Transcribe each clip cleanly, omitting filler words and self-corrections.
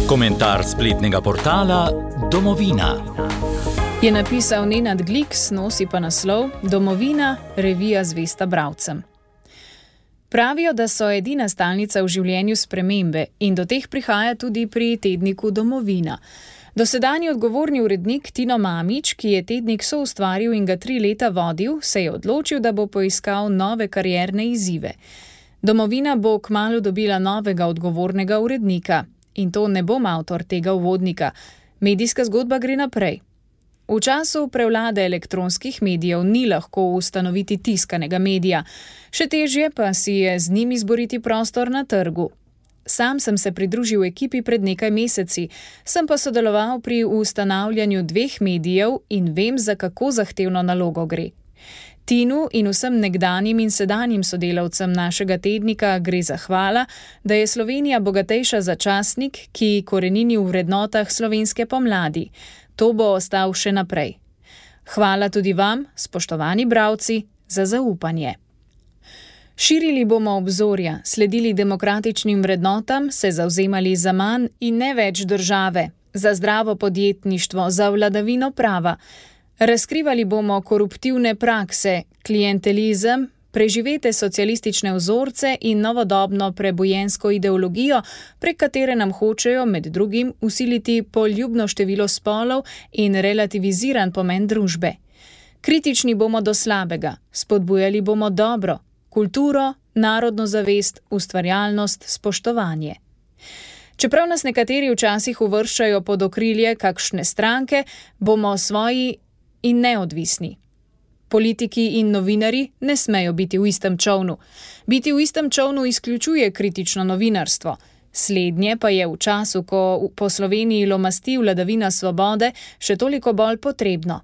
Komentar spletnega portala Domovina. Je napisal Nenad Gliks, nosi pa naslov Domovina, revija zvesta bralcem. Pravijo, da so edina stalnica v življenju spremembe in do teh prihaja tudi pri tedniku Domovina. Dosedanji odgovorni urednik Tino Mamić, ki je tednik soustvaril in ga 3 leta vodil, se je odločil, da bo poiskal nove karierne izzive. Domovina bo kmalu dobila novega odgovornega urednika. In to ne bom avtor tega uvodnika. Medijska zgodba gre naprej. V času prevlade elektronskih medijev ni lahko ustanoviti tiskanega medija. Še težje pa si je z njim izboriti prostor na trgu. Sam sem se pridružil ekipi pred nekaj meseci, sem pa sodeloval pri ustanavljanju 2 medijev in vem, za kako zahtevno nalogo gre. Tinu in vsem nekdanjim in sedanjim sodelavcem našega tednika gre zahvala, da je Slovenija bogatejša za časnik, ki korenini v vrednotah slovenske pomladi. To bo ostal še naprej. Hvala tudi vam, spoštovani bralci, za zaupanje. Širili bomo obzorja, sledili demokratičnim vrednotam, se zavzemali za manj in ne več države, za zdravo podjetništvo, za vladavino prava. Razkrivali bomo koruptivne prakse, klientelizem, preživete socialistične vzorce in novodobno prebojensko ideologijo, prek katere nam hočejo med drugim vsiliti poljubno število spolov in relativiziran pomen družbe. Kritični bomo do slabega, spodbujali bomo dobro, kulturo, narodno zavest, ustvarjalnost, spoštovanje. Čeprav nas nekateri včasih uvrščajo pod okrilje kakšne stranke, bomo svoji in neodvisni. Politiki in novinari ne smejo biti v istem čovnu. Biti v istem čovnu izključuje kritično novinarstvo. Slednje pa je v času, ko po Sloveniji lomasti vladavina svobode, še toliko bolj potrebno.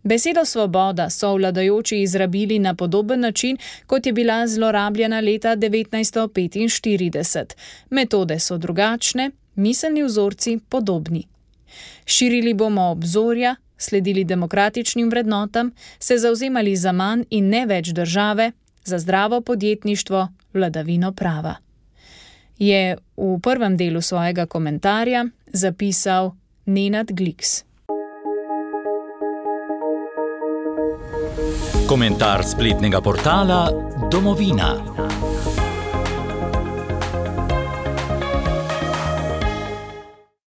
Besedo svoboda so vladajoči izrabili na podoben način, kot je bila zlorabljena leta 1945. Metode so drugačne, miselni vzorci podobni. Širili bomo obzorja, sledili demokratičnim vrednotam, se zavzemali za manj in ne več države, za zdravo podjetništvo, vladavino prava. Je v prvem delu svojega komentarja zapisal Nenad Gliks. Komentar spletnega portala Domovina.